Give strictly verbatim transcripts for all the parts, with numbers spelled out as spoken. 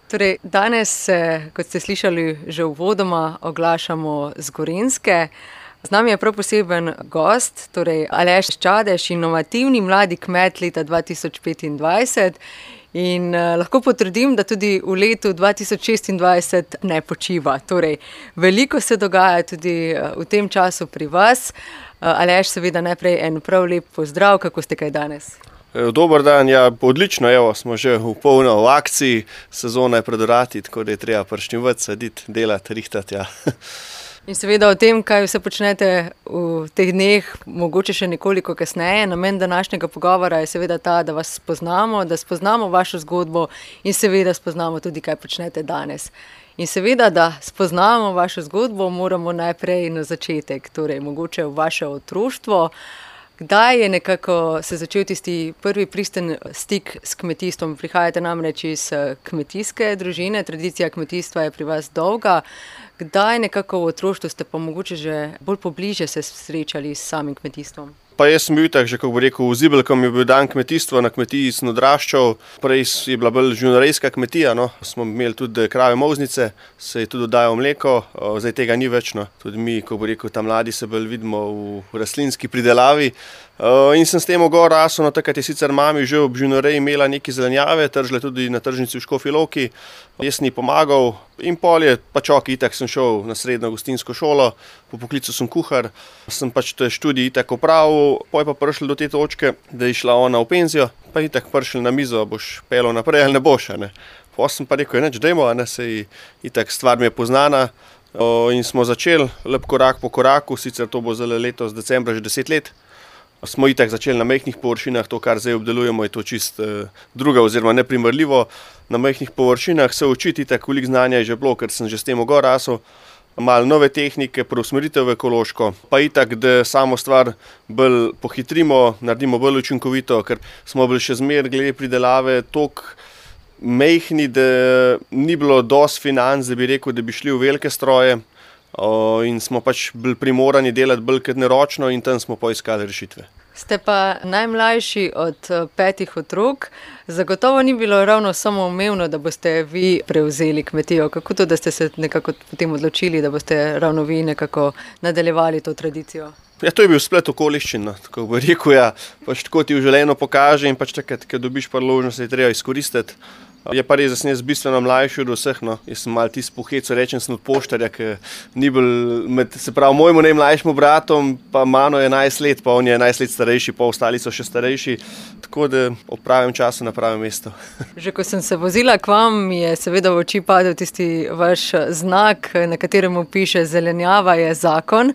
Torej, danes se, kot ste slišali že uvodoma, oglašamo z Gorenjske. Z nami je prav poseben gost, torej Aleš Čadež, inovativni mladi kmet leta dva tisoč petindvajset. In uh, lahko potrdim, da tudi v letu dva tisoč šestindvajset ne počiva. Torej, veliko se dogaja tudi uh, v tem času pri vas. Uh, Aleš, seveda najprej en prav lep pozdrav, kako ste kaj danes? Dober dan, ja, odlično, evo, smo že v polno v akciji, sezona je pred vrati, tako da je treba pršnjevati, saditi, delati, rihtati, ja. In seveda o tem, kaj vse počnete v teh dneh, mogoče še nekoliko kasneje. Namen današnjega pogovora je seveda ta, da vas spoznamo, da spoznamo vašo zgodbo in seveda spoznamo tudi, kaj počnete danes. In seveda, da spoznamo vašo zgodbo, moramo najprej na začetek, torej mogoče v vaše otroštvo. Kdaj je nekako se začel tisti prvi pristen stik s kmetijstvom? Prihajate namreč iz kmetijske družine, tradicija kmetijstva je pri vas dolga. Kdaj nekako v otroštvu ste pa mogoče že bolj pobliže se srečali s samim kmetijstvom? Pa jaz sem bil tak, že kako bi rekel, v Zibelkom je bil dan kmetijstva, na kmetiji sem odraščal. Prej je bila bolj živinorejska kmetija, no. Smo imeli tudi krave molznice, se je tudi oddajalo mleko, zdaj tega ni več, no. Tudi mi, kako bi rekel, tam mladi se bolj vidimo v rastlinski pridelavi. In sem s tem gor rasel, no, takrat je sicer mami že ob živinoreji imela neke zelenjave, tržile tudi na tržnici v Škofji Loki. Jaz sem ji pomagal in pol je pač ok, itak sem šel na srednjo gostinsko šolo, po poklicu sem kuhar, sem pač študij itak opravil, pol je pa prišel do te točke, da je šla ona v penzijo, pa itak prišel na mizo, boš pelil naprej ali ne boš, ne. Pol sem pa rekel, neč dajmo, ne, sej itak stvar mi je poznana. O, in smo začeli lep korak po koraku, sicer to bo zdaj letos decembra že deset let. Smo itak začeli na majhnih površinah, to, kar zdaj obdelujemo, je to čist eh, druga oziroma neprimerljivo. Na majhnih površinah se učiti, itak veliko znanja je že bilo, ker sem že s tem gor rasel. Malo nove tehnike, preusmeritev v ekološko, pa itak, da samo stvar bolj pohitrimo, naredimo bolj učinkovito, ker smo bili še zmer glede pridelave toliko majhni, da ni bilo dosti financ, da bi rekel, da bi šli v velike stroje. O, in smo pač bili primorani delati bolj kot neročno in tam smo poiskali rešitve. Ste pa najmlajši od petih otrok. Zagotovo ni bilo ravno samoumevno, da boste vi prevzeli kmetijo. Kako to, da ste se nekako potem odločili, da boste ravno vi nekako nadaljevali to tradicijo? Ja, to je bil splet okoliščin, no. Tako bi rekel, ja, pač tako ti v življenju pokaže in pač takrat, ko dobiš priložnost, je treba izkoristiti. Je pa res, da sem jaz bistveno mlajši od vseh, no. Jaz sem malo tisti poheco, rečem sem od poštarja, ki ni bil med, se pravi, mojemu najmlajšemu bratom, pa mano je enajst let, pa on je enajst let starejši, pa ostali so še starejši, tako da ob pravem času na pravem mestu. Že ko sem se vozila k vam, mi je seveda v oči padel tisti vaš znak, na katerem piše zelenjava je zakon.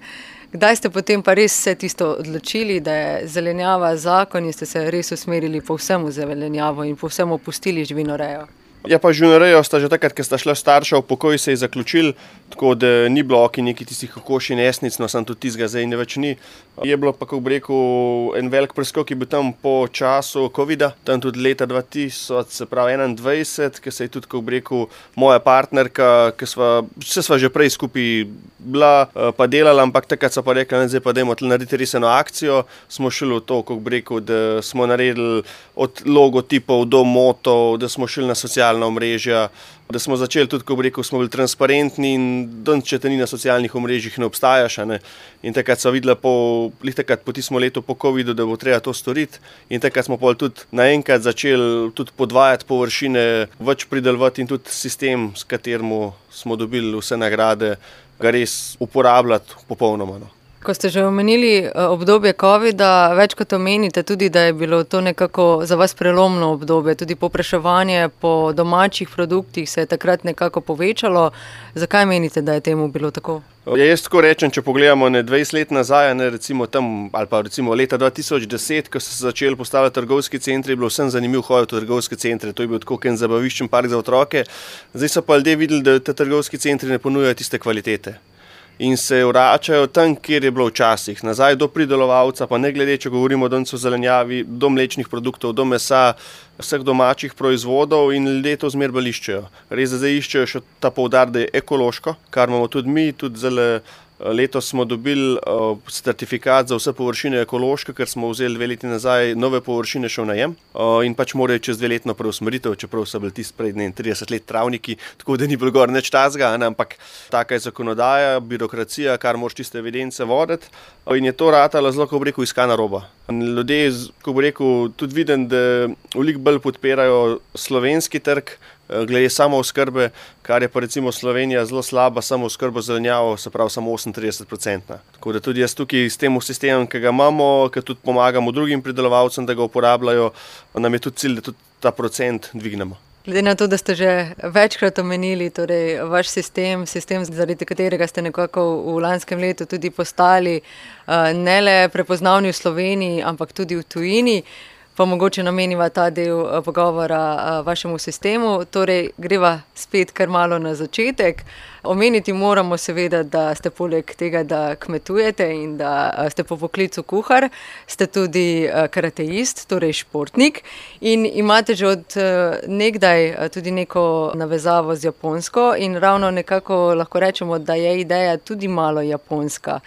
Kdaj ste potem pa res vse tisto odločili, da je zelenjava zakon in ste se res usmerili povsem v zelenjavo in povsem opustili živinorejo? Ja, pa živinorejo sta že takrat, ko sta šla starša v pokoj, se je zaključil, tako da ni bilo ok neki tistih kokoši nesnic, no sem tudi tistega zdaj ne več ni. Je bilo pa, kako bi rekel, en velik preskok je bil tam po času covida, tam tudi leta dva tisoč, se pravi enaindvajset, ko se je tudi, kako bi rekel, moja partnerka, ki sva, vse sva že prej skupaj bila, pa delala, ampak takrat so pa rekli, ne, zdaj pa dajmo tle narediti res eno akcijo, smo šli v to, kako bi rekel, da smo naredili od logotipov do motov, da smo šli na socialna omrežja, da smo začeli tudi, ko bi rekel, smo bili transparentni in danes, če te ni na socialnih omrežjih, ne obstajaš, ne. In takrat so videla po, lih takrat po tistem letu po covidu, da bo treba to storiti in takrat smo pol tudi naenkrat začeli tudi podvajati površine, več pridelovati in tudi sistem, s katerim smo dobili vse nagrade, ga res uporabljati popolnoma, no. Ko ste že omenili obdobje covida, več kot omenite tudi, da je bilo to nekako za vas prelomno obdobje, tudi povpraševanje po domačih produktih se je takrat nekako povečalo. Zakaj menite, da je temu bilo tako? Ja, jaz tako rečem, če pogledamo ne dvajset let nazaj, ne, recimo tam, ali pa recimo leta dva tisoč deset, ko so se začeli postavljati trgovski centri, je bilo vsem zanimivo hoditi v trgovske centre, to je bil tako en zabaviščen park za otroke. Zdaj so pa ljudje videli, da te trgovski centri ne ponujajo tiste kvalitete. In se vračajo tam, kjer je bilo včasih, nazaj do pridelovalca, pa ne glede, če govorimo danes o zelenjavi, do mlečnih produktov, do mesa, vseh domačih proizvodov in ljudje to zmer bolj iščejo. Res, da zdaj iščejo še ta poudar, da je ekološko, kar imamo tudi mi, tudi zelo Letos smo dobili certifikat za vse površine ekološke, ker smo vzeli dve leti nazaj nove površine še v najem in pač morajo čez dve letno preusmeritev, čeprav so bili tisti pred trideset let travniki, tako da ni bilo gor nič tazga, ampak taka je zakonodaja, birokracija, kar moraš tiste evidence voditi in je to ratalo zelo, ko bi rekel, iskana roba. Ljudje, ko bi rekel, tudi vidim, da veliko bolj podpirajo slovenski trg, glede samooskrbe, kar je pa recimo Slovenija zelo slaba samooskrbo z zelenjavo, se pravi samo osemintrideset procentov. Tako da tudi jaz tukaj s tem sistemom, ki ga imamo, ki tudi pomagamo drugim pridelovalcem, da ga uporabljajo, nam je tudi cilj, da tudi ta procent dvignemo. Glede na to, da ste že večkrat omenili, torej vaš sistem, sistem, zaradi katerega ste nekako v lanskem letu tudi postali ne le prepoznavni v Sloveniji, ampak tudi v tujini, pa mogoče nameniva ta del pogovora vašemu sistemu. Torej, greva spet kar malo na začetek. Omeniti moramo seveda, da ste poleg tega, da kmetujete in da ste po poklicu kuhar, ste tudi karateist, torej športnik in imate že od nekdaj tudi neko navezavo z Japonsko in ravno nekako lahko rečemo, da je ideja tudi malo japonska.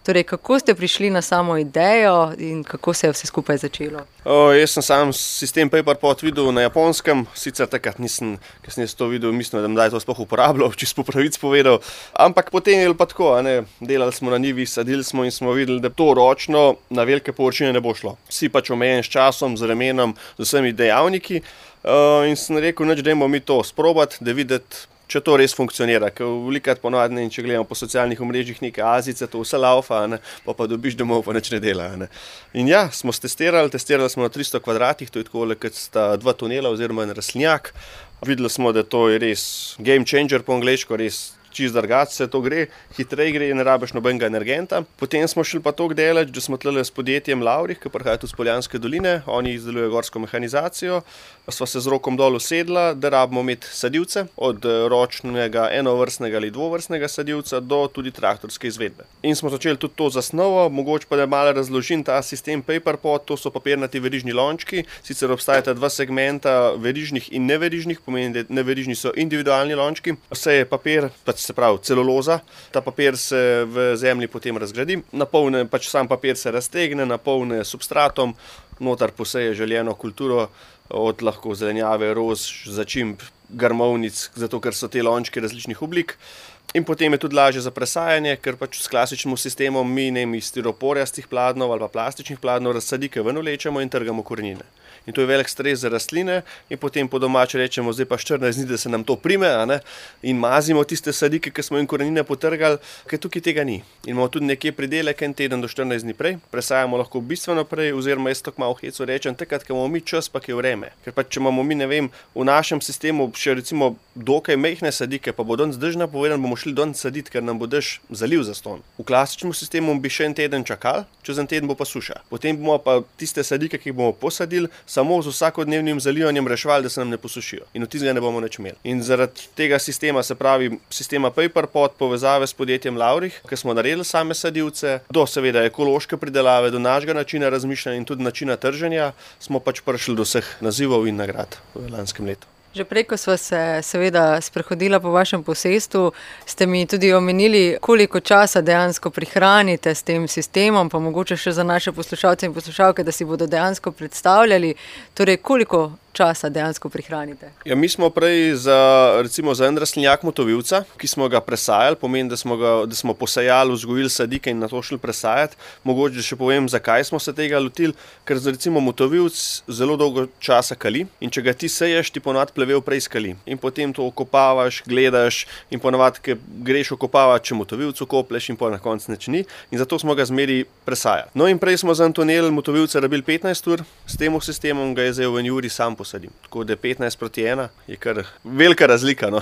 Torej, kako ste prišli na samo idejo in kako se je vse skupaj začelo? O, jaz sem sam sistem PaperPot videl na Japonskem, sicer takrat nisem, ker sem jaz to videl, mislim, da je to sploh uporabljal, čisto po pravic povedal, ampak potem je pa tako, ne, delali smo na njivi, sadili smo in smo videli, da to ročno na velike površine ne bo šlo. Vsi pač omejen s časom, z vremenom, z vsemi dejavniki o, in sem rekel, nič, dajmo mi to sprobati, da videti, če to res funkcionira, ker velikrat ponovadi, če gledamo po socialnih omrežjih neke Azice, to vse laufa, ne, pa pa dobiš domov, pa nič ne dela. Ne. In ja, smo testirali, testirali smo na tristo kvadratih, to je tako, kot sta dva tunela oziroma en rastlinjak. Videli smo, da to je res game changer po angleško, res čist drugače se to gre, hitreje gre in ne rabiš nobenega energenta. Potem smo šli pa to deleč, da smo tlele s podjetjem Laurih, ki prihaja tudi z Poljanske doline, oni izdelujejo gorsko mehanizacijo, sva se z rokom dol usedla, da rabimo imeti sadilce, od ročnega enovrstnega ali dvovrstnega sadilca do tudi traktorske izvedbe. In smo začeli tudi to zasnovo, mogoče pa da malo razložim ta sistem PaperPot, to so papirnati verižni lončki, sicer obstajata dva segmenta verižnih in neverižnih, pomeni, da neverižni so individualni lončki, vse je papir, pač se pravi celuloza, ta papir se v zemlji potem razgradi, napolne, pač sam papir se raztegne, napolne substratom, notar poseje željeno kulturo, od lahko zelenjave, rož, začimb, grmovnic, zato ker so te lončki različnih oblik. In potem je tudi lažje za presajanje, ker pač s klasičnim sistemom mi ne iz stiroporjastih pladnov ali pa plastičnih pladnov razsadike ven vlečemo in trgamo korenine. In to je velik stres za rastline in potem po domače rečemo, zdaj pa štirinajst dni, da se nam to prime, a ne? In mazimo tiste sadike, ki smo jim korenine potrgali, ker tukaj tega ni. In imamo tudi nekje pridelek en teden do štirinajst dni prej, presajamo lahko bistveno prej, oziroma jaz tako malo v hecu rečem, takrat, ko imamo mi čas, pa je vreme. Ker pač, če imamo mi, ne vem, v našem sistemu še recimo dokaj majhne sadike, pa bo danes dežna povedan, bomo šli danes saditi, ker nam bo dež zaliv zastonj. V klasičnem sistemu bi še en teden čakali, čez en teden bo pa suša. Potem bomo pa tiste sadike, ki jih bomo posadili, samo z vsakodnevnim zalivanjem reševali, da se nam ne posušijo. In od tistega ne bomo nič imeli. In zaradi tega sistema, se pravi sistema PaperPot, povezave s podjetjem Laurih, ki smo naredili same sadilce, do seveda ekološke pridelave, do našega načina razmišljanja in tudi načina trženja, smo pač prišli do vseh nazivov in nagrad v lanskem letu. Že prej, ko sva se seveda sprehodila po vašem posestvu, ste mi tudi omenili, koliko časa dejansko prihranite s tem sistemom, pa mogoče še za naše poslušalce in poslušalke, da si bodo dejansko predstavljali, torej koliko časa dejansko prihranite? Ja, mi smo prej za, recimo za en rastlinjak motovilca, ki smo ga presajali, pomeni, da smo, ga, da smo posejali, vzgojili sadike in na to šli presajati. Mogoče še povem, zakaj smo se tega lotili, ker recimo motovilc zelo dolgo časa kali in če ga ti seješ, ti ponavadi plevel prej skali. In potem to okopavaš, gledaš in ponavadi, ker greš okopavati, če motovilc okopleš in pa na koncu nič ni. In zato smo ga zmeri presajali. No in prej smo za en tunel motovilca rabili petnajst ur, s tem sistemom ga je zdaj v en uri sam posadim. Tako da petnajst proti ena je kar velika razlika. No.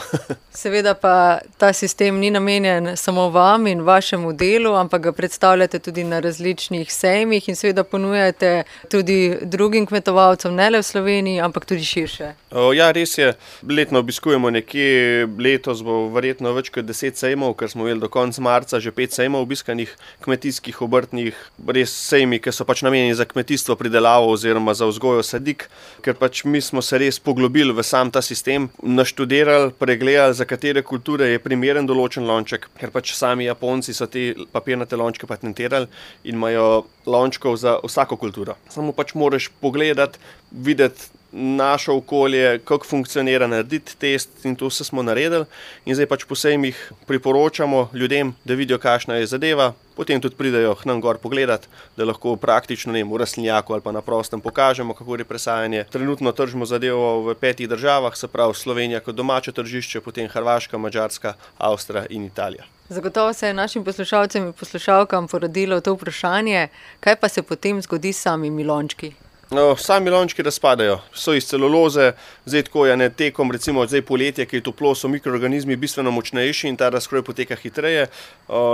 Seveda pa ta sistem ni namenjen samo vam in vašemu delu, ampak ga predstavljate tudi na različnih sejmih in seveda ponujate tudi drugim kmetovalcem, ne le v Sloveniji, ampak tudi širše. O, ja, res je. Letno obiskujemo nekje, letos bo verjetno več kot deset sejmov, ker smo imeli do konca marca že pet sejmov obiskanih, kmetijskih, obrtnih, res sejmi, ki so pač namenjeni za kmetijstvo, pridelavo oziroma za vzgojo sadik, ker pač mi mi smo se res poglobili v sam ta sistem, naštudirali, pregledali, za katere kulture je primeren določen lonček, ker pač sami Japonci so te papirnate lončke patentirali in imajo lončkov za vsako kulturo. Samo pač moraš pogledati, videti naše okolje, kako funkcionira, narediti test in to vse smo naredili in zdaj pač posebej jih priporočamo ljudem, da vidijo, kakšna je zadeva, potem tudi pridejo k nam gor pogledati, da lahko praktično ne, v rastlinjaku ali pa na prostem pokažemo, kako je presajanje. Trenutno tržimo zadevo v petih državah, se pravi Slovenija kot domače tržišče, potem Hrvaška, Madžarska, Avstrija in Italija. Zagotovo se je našim poslušalcem in poslušalkam porodilo to vprašanje, kaj pa se potem zgodi s samimi lončki? No, sami lončki razpadajo, so iz celuloze, zdaj tako je ne tekom, recimo zdaj poletje, ki je toplo, so mikroorganizmi bistveno močnejši in ta razkroj poteka hitreje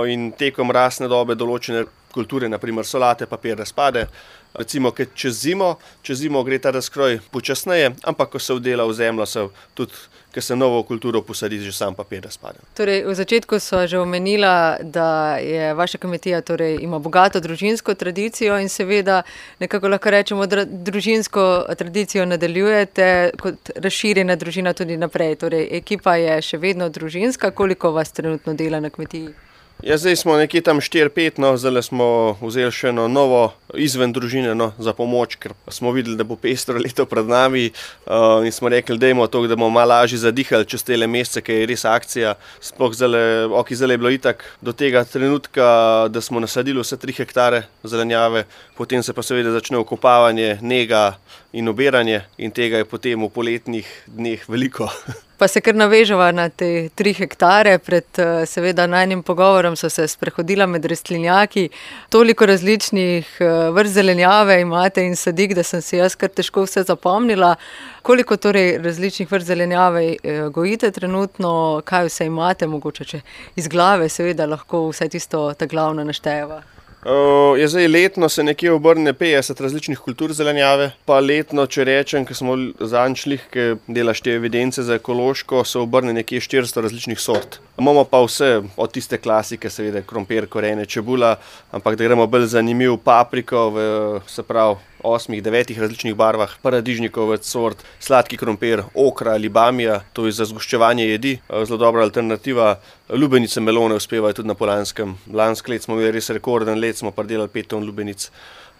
in tekom rastne dobe določene kulture, naprimer solate, papir razpade. Recimo, ker čez zimo, čez zimo gre ta razkroj počasneje, ampak ko se vdela v zemljo, se tudi, ker se novo kulturo posadi, že sam papir razpade. Torej, v začetku so že omenila, da je vaša kmetija, torej ima bogato družinsko tradicijo in seveda nekako lahko rečemo, da družinsko tradicijo nadaljujete kot razširjena družina tudi naprej. Torej, ekipa je še vedno družinska, koliko vas trenutno dela na kmetiji? Ja, zdaj smo nekje tam štiri pet, no, zdaj smo vzeli še eno novo izven družine, no, za pomoč, ker smo videli, da bo pestro leto pred nami uh, in smo rekli, dajmo to, da bomo malo lažje zadihali čez tele mesece, ker je res akcija. Sploh zdaj, ok, zdaj je bilo itak do tega trenutka, da smo nasadili vse tri hektare zelenjave, potem se pa seveda začne okopavanje, nega in obiranje in tega je potem v poletnih dneh veliko. Pa se kar navežava na te tri hektare, pred seveda najnim pogovorom so se sprehodila med rastlinjaki, toliko različnih vrst zelenjave imate in sadik, da sem si jaz kar težko vse zapomnila. Koliko torej različnih vrst zelenjave gojite trenutno, kaj vse imate, mogoče če iz glave seveda lahko vse tisto ta glavno naštejeva? Uh, je zdaj letno se nekje obrne petdeset različnih kultur zelenjave, pa letno, če rečem, ker smo zadnjič šli, ki delaš te evidence za ekološko, se obrne nekje štiristo različnih sort. Imamo pa vse od tiste klasike, seveda krompir, korenje, čebula, ampak da gremo bolj zanimiv, papriko, v, se pravi osmih, devetih različnih barvah, paradižnikov več sort, sladki krompir, okra ali bamija, to je za zgoščevanje jedi, zelo dobra alternativa. Lubenice melone uspevajo tudi na Polanskem. Lansko let smo imeli res rekorden let, smo pridelali pet ton lubenic.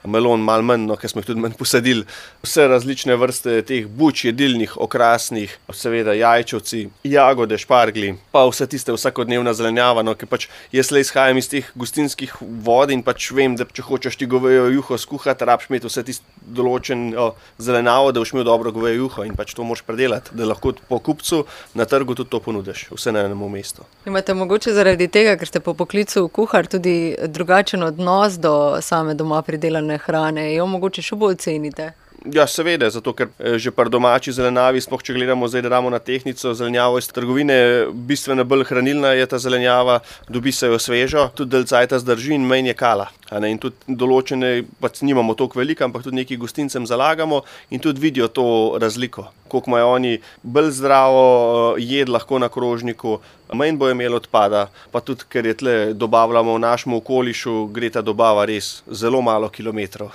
Melon malo manj, no, ker smo jih tudi manj posadili. Vse različne vrste teh buč, jedilnih, okrasnih, seveda jajčevci, jagode, špargli, pa vse tiste vsakodnevna zelenjava, no, ker pač jaz le izhajam iz teh gostinskih vod in pač vem, da če hočeš ti govejo juho skuhati, rabiš imeti vse tiste določeno zelenjavo, da boš imel dobro govejo juho in pač to moraš predelati, da lahko po kupcu na trgu tudi to ponudiš, vse na enem mestu. Imate mogoče zaradi tega, ker ste po poklicu kuhar, tudi drugačen odnos do same doma pridelane hrane, jo mogoče še bolj cenite? Ja, seveda, zato ker že pri domači zelenavi, sploh če gledamo zdaj, da damo na tehtnico zelenjavo iz trgovine, bistveno bolj hranilna je ta zelenjava, dobi se jo svežo, tudi dalj cajta zdrži in manj je kala. In tudi določene, pač nimamo toliko veliko, ampak tudi nekaj gostincem zalagamo in tudi vidijo to razliko. Koliko imajo oni bolj zdravo jed lahko na krožniku, manj bojo imeli odpada, pa tudi, ker je tle dobavljamo v našem okolišu, gre ta dobava res zelo malo kilometrov.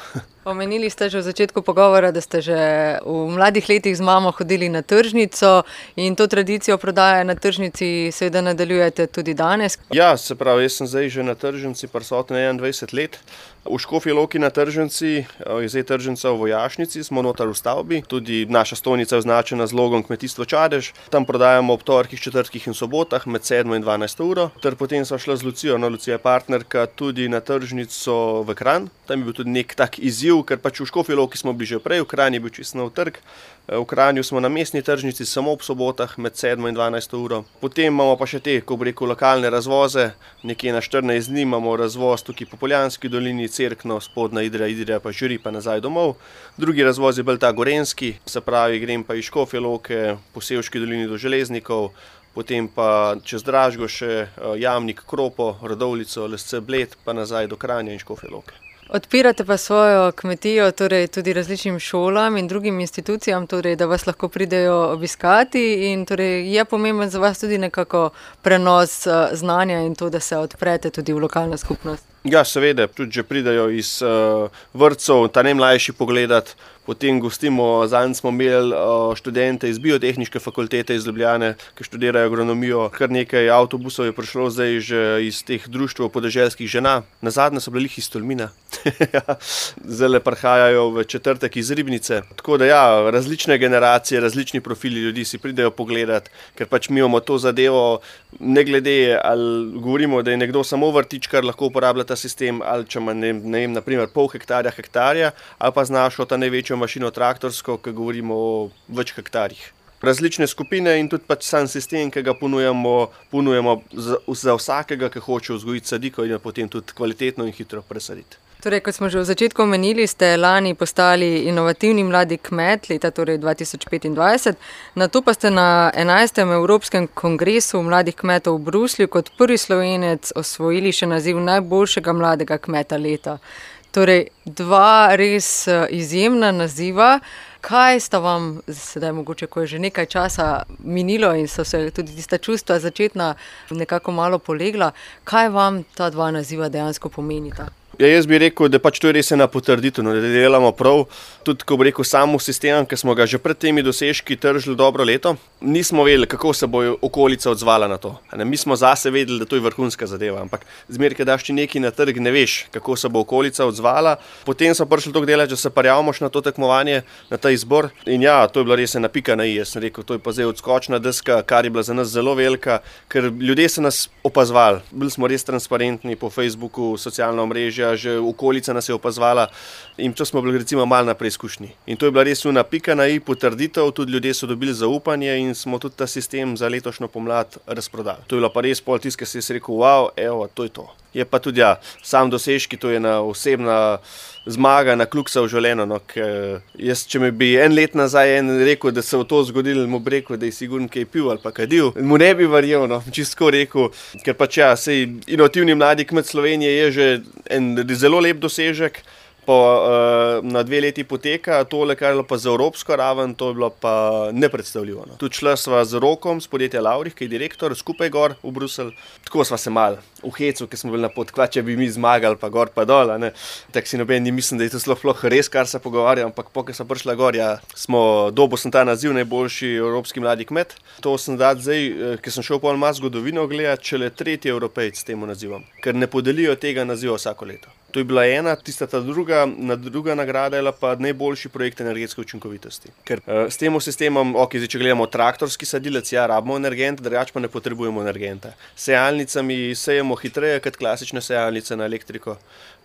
Omenili ste že v začetku pogovora, da ste že v mladih letih z mamo hodili na tržnico in to tradicijo prodaje na tržnici seveda nadaljujete tudi danes. Ja, se pravi, jaz sem zdaj že na tržnici prisoten enaindvajset let. V Škofji Loki na tržnici, je zdaj tržnica v Vojašnici, smo notar v stavbi, tudi naša stojnica je označena z logom Kmetijstvo Čadež. Tam prodajamo ob torkih, četrtkih in sobotah med sedmo in dvanajsto uro. Ter potem sva šla z Lucijo, no, Lucija je partnerka, tudi na tržnico v Kranj. Tam je bil tudi nek tak izziv, ker pač v Škofji Loki smo bili že prej, v Kranj je bil čisto nov trg. V Kranju smo na mestni tržnici samo ob sobotah med sedmo in dvanajsto uro. Potem imamo pa še te, ko bi rekel, lokalne razvoze, nekje na štirinajst dni imamo razvoz tukaj po Poljanski dolini, Cerkno, Spodnja Idrija, Idrija pa Žiri pa nazaj domov. Drugi razvoz je bolj ta gorenjski, se pravi, grem pa iz Škofje Loke po Sevški dolini do Železnikov, potem pa čez Dražgoše, Jamnik, Kropo, Radovljico, Lesce, Bled pa nazaj do Kranja in Škofje Loke. Odpirate pa svojo kmetijo torej tudi različnim šolam in drugim institucijam, torej, da vas lahko pridejo obiskati in torej, je pomemben za vas tudi nekako prenos znanja in to, da se odprete tudi v lokalno skupnost. Ja, seveda, tudi že pridejo iz uh, vrtcev, ta najmlajši pogledat, potem gostimo, zanj smo imeli študente iz biotehniške fakultete iz Ljubljane, ki študirajo agronomijo. Kar nekaj avtobusov je prišlo zdaj že iz teh društev podeželskih žena. Nazadnje so bili iz Tolmina. Zdaj prihajajo v četrtek iz Ribnice. Tako da ja, različne generacije, različni profili ljudi si pridejo pogledati, ker pač mi imamo to zadevo, ne glede, ali govorimo, da je nekdo samo vrtičkar, lahko uporablja ta sistem, ali če ima, ne, ne vem, naprimer pol hektarja, hektarja, ali pa znašo ta največjo mašino traktorsko, ki govorimo o več hektarjih. Različne skupine in tudi pač sam sistem, ki ga ponujamo, ponujamo za, za vsakega, ki hoče vzgojiti sadiko in jo potem tudi kvalitetno in hitro presaditi. Torej, kot smo že v začetku omenili, ste lani postali inovativni mladi kmet leta torej dva tisoč petindvajset, nato pa ste na enajstem Evropskem kongresu mladih kmetov v Bruslju kot prvi Slovenec osvojili še naziv najboljšega mladega kmeta leta. Torej, dva res izjemna naziva. Kaj sta vam, sedaj mogoče, ko je že nekaj časa minilo in so se tudi tista čustva začetna nekako malo polegla, kaj vam ta dva naziva dejansko pomenita? Ja, jaz bi rekel, da pač to je res ena potrditev, da delamo prav. Tudi, ko bi rekel, samo sistem, ki smo ga že pred temi dosežki tržili dobro leto, nismo vedeli, kako se bo okolica odzvala na to. Mi smo zase vedeli, da to je vrhunska zadeva, ampak zmeraj, ko daš ti nekaj na trg, ne veš, kako se bo okolica odzvala. Potem smo prišli toliko delati, da se prijavimo na to tekmovanje, na ta izbor. In ja, to je bila res ena pika na i. Jaz sem rekel, to je pa zdaj odskočna deska, kar je bila za nas zelo velika, ker ljudje so nas opazovali. Bili smo res transparentni po Facebooku, socialna omrežja, že okolica nas je opazvala in to smo bili recimo malo na preizkušnji. In to je bila res una pika na i, potrditev, tudi ljudje so dobili zaupanje in smo tudi ta sistem za letošnjo pomlad razprodali. To je bila pa res pol tiska, si jaz rekel, wow, evo, to je to. Je pa tudi ja, sam dosežki, to je ena osebna zmaga na kluksa v življenju. No, jaz, če mi bi en let nazaj en rekel, da se v to zgodilo, mu bi rekel, da je sigurno kaj pil ali pa kadil, mu ne bi verjel, no, čisto rekel, ker pač ja, sej inovativni mladi kmet Slovenije je že en zelo lep dosežek. Po, uh, na dve leti poteka, tole, kar je bilo pa za evropsko raven, to je bilo pa nepredstavljivo. No. Tudi šla sva z Rokom, z podjetja Laurih, ki je direktor, skupaj gor v Bruselj. Tako sva se mal v hecu, ki smo bili na pot, kva, če bi mi zmagali, pa gor pa dol. Tako si noben ni mislim, da je to sploh res, kar se pogovarja, ampak po, ko sem prišla gor, ja, smo, dobil sem ta naziv najboljši evropski mladi kmet. To sem dal zdaj, ker sem šel pol malo zgodovino gledati, šele tretji Evropejc s tem nazivom, ker ne podelijo tega naziva vsako leto. To je bila ena, tista ta druga, druga nagrada je pa najboljši projekt energetske učinkovitosti. Ker uh, s tem sistemom, ok, zdaj, če gledamo traktorski sadilec, ja, rabimo energent, drugače pa ne potrebujemo energenta. S sejalnicami sejemo hitreje kot klasične sejalnice na elektriko.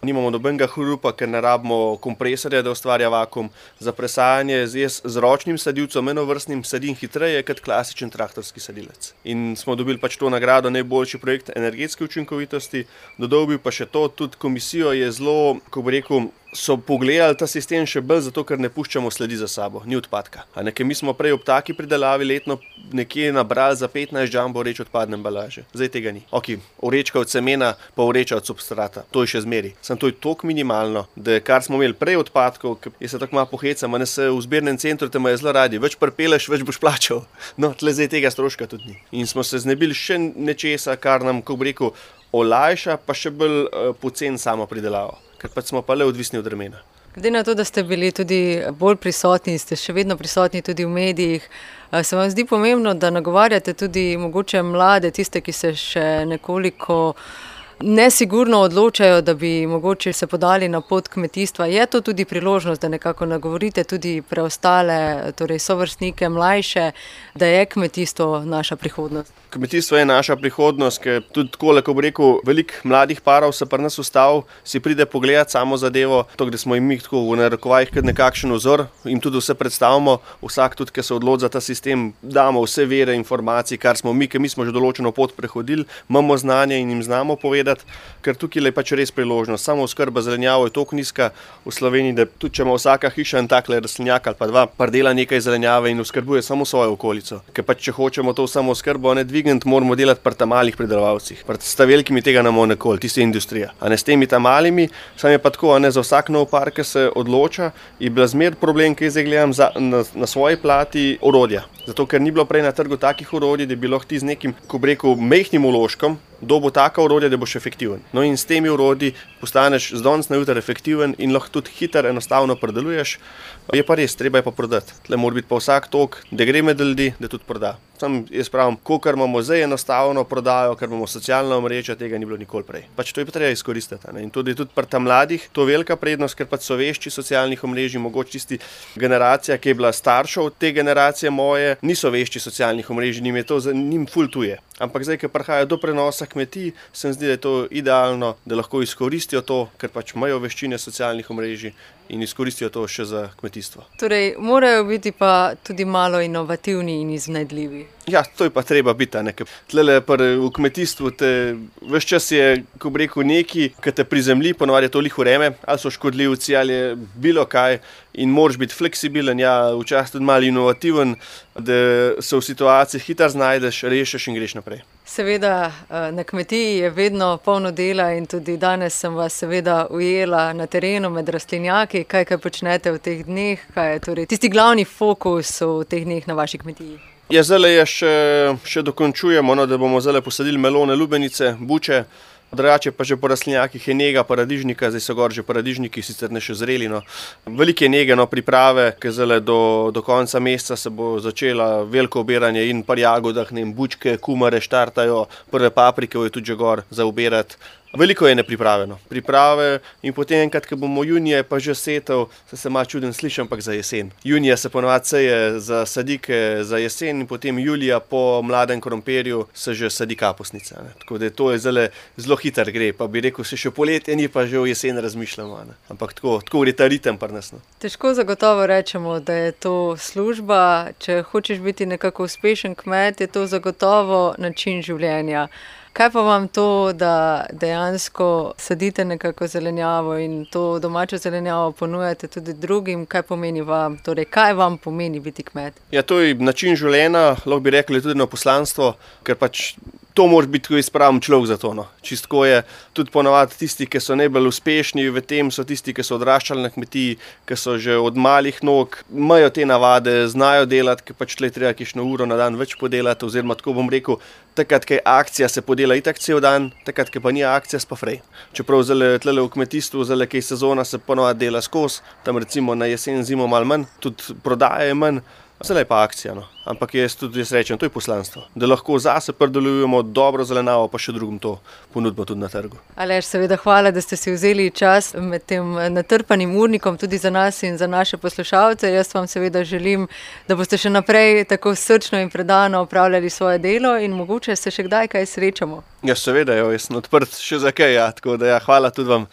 Nimamo nobenega hrupa, ker ne rabimo kompresorja, da ustvarja vakuum. Za presajanje z, z ročnim sadilcem, enovrstnim sadim hitreje kot klasičen traktorski sadilec. In smo dobili pač to nagrado najboljši projekt energetske učinkovitosti. Dodobil pa še to, tudi komisijo je zelo, ko bi rekel, so pogledali ta sistem še bolj zato, ker ne puščamo sledi za sabo, ni odpadka. A nekaj mi smo prej ob taki pridelavi letno nekje nabrali za petnajst jumbo vreč odpadne embalaže. Zdaj tega ni. Ok, vrečka od semena, pa vreča od substrata. To je še zmeri. Sam to je toliko minimalno, da kar smo imeli prej odpadkov, ki se tako malo pohecam, a ne se v zbirnem centru te imajo zelo radi. Več pripeleš, več boš plačal. No, tle zdaj tega stroška tudi ni. In smo se znebili še nečesa, kar nam, ko bi rekel, olajša, pa še bolj uh, poceni samo pridelavo. Ker pač smo pa le odvisni od vremena. Glede na to, da ste bili tudi bolj prisotni, ste še vedno prisotni tudi v medijih, se vam zdi pomembno, da nagovarjate tudi mogoče mlade, tiste, ki se še nekoliko nesigurno odločajo, da bi mogoče se podali na pot kmetijstva. Je to tudi priložnost, da nekako nagovorite tudi preostale, torej sovrstnike, mlajše, da je kmetijstvo naša prihodnost? Kmetijstvo je naša prihodnost, ker tudi tako, ko bi rekel, veliko mladih parov se pri nas ustavi, si pride pogledati samo zadevo, to, da smo jim mi tako v narekovajih kot nekakšen vzor, jim tudi vse predstavimo, vsak tudi, ki se odloči za ta sistem, damo vse vere informacij, kar smo mi, ker mi smo že določeno pot prehodili, imamo znanje in jim znamo povedati, ker tukaj je pač res priložnost. Samo oskrba zelenjavo je toliko nizka v Sloveniji, da tudi če ima vsaka hiša en takle rastlinjak ali pa dva, pardela nekaj zelenjave in oskrbuje samo svojo okolico. Ker pač če hočemo to samo oskrbo ne dvigniti, moramo delati pri ta malih pridelovalcih. Pri sta velikimi tega ne bomo nikoli, tista je industrija. A ne s temi ta malimi, sam je pa tako, a ne za vsak nov par, ki se odloča, je bila zmer problem, ki zdaj gledam za, na, na svoji plati orodja. Zato, ker ni bilo prej na trgu takih orodij, da bi lahko ti z nekim, ko bi rekel, mehkim vložkom, dobil taka orodja, da boš efektiven. No in s temi orodji postaneš z danes na jutri efektiven in lahko tudi hiter, enostavno predeluješ. Je pa res, treba je pa prodati. Tle mora biti pa vsak tok, da gre med ljudi, da tudi proda. Sam jaz pravim, kolikor imamo zdaj enostavno prodajo, ker imamo socialna omrežja, tega ni bilo nikoli prej. Pač to je pa treba izkoristiti. Ne? In tudi, tudi pri tam mladih to je velika prednost, ker pač so vešči socialnih omrežij, mogoče tisti generacija, ki je bila starša od te generacije moje, niso vešči socialnih omrežij, njim je to njim ful tuje. Ampak zdaj, ko prihaja do prenosa kmetij, se mi zdi, da je to idealno, da lahko izkoristijo to, ker pač imajo veščine socialnih omrežij in izkoristijo to še za kmetijstvo. Torej, morajo biti pa tudi malo inovativni in iznajdljivi. Ja, to je pa treba biti, ne, ker tlele v kmetijstvu te ves čas je, ko bi rekel, neki, ki te prizemlji, ponovadi je to lih vreme, ali so škodljivci, ali je bilo kaj in moraš biti fleksibilen, ja, včasih tudi malo inovativen, da se v situaciji hitro znajdeš, rešiš in greš naprej. Seveda, na kmetiji je vedno polno dela in tudi danes sem vas seveda ujela na terenu med rastlinjaki. Kaj, kaj počnete v teh dneh? Kaj je torej tisti glavni fokus v teh dneh na vaši kmetiji? Ja, zdaj je še, še dokončujemo, no, da bomo zdaj posadili melone, lubenice, buče. Drugače pa že po rastlinjakih je nega paradižnika, zdaj so gor že paradižniki, sicer ne še zreli. No. Veliko je nege, no, priprave, ker zdaj do, do konca meseca se bo začela veliko obiranje in par jagodah, ne vem, bučke, kumare štartajo, prve paprike je tudi že gor za obirati. Veliko je nepripravljeno. Priprave in potem enkrat, ko bomo junija pa že setev, se se malo čuden slišim, ampak za jesen. Junija se ponovadi seje za sadike za jesen in potem julija po mladem krompirju se že sadi kapusnica. Ne. Tako da to je zelo, zelo hiter gre, pa bi rekel, se še poletje ni, pa že v jesen razmišljamo. Ne. Ampak tako, tako gre ta ritem pri nas. No. Težko zagotovo rečemo, da je to služba. Če hočeš biti nekako uspešen kmet, je to zagotovo način življenja. Kaj pa vam to, da dejansko sadite nekako zelenjavo in to domačo zelenjavo ponujate tudi drugim, kaj pomeni vam, torej kaj vam pomeni biti kmet? Ja, to je način življenja, lahko bi rekli tudi na poslanstvo, ker pač to mora biti tako izpraven človek za to. No. Čistko je tudi ponovadi tisti, ki so najbolj uspešni v tem, so tisti, ki so odraščali na kmetiji, ki so že od malih nog, imajo te navade, znajo delati, ker pač tle treba kakšno uro na dan več podelati, oziroma tako bom rekel, takrat, ko je akcija, se podela itak cel dan, takrat, ko pa ni akcija, pa frej. Čeprav zale, tle v kmetijstvu, zale, kaj sezona se ponovadi dela skozi, tam recimo na jesen, zimo malo manj, tudi prodaje je manj, zale pa akcija. No. Ampak jaz tudi jaz rečem, to je poslanstvo, da lahko zase predelujemo dobro zelenjavo, pa še drugim to ponudimo tudi na trgu. Aleš, seveda hvala, da ste si vzeli čas med tem natrpanim urnikom tudi za nas in za naše poslušalce. Jaz vam seveda želim, da boste še naprej tako srčno in predano opravljali svoje delo in mogoče se še kdaj kaj srečamo. Ja, seveda, jo, jaz sem odprt še za kaj, ja, tako da ja, hvala tudi vam.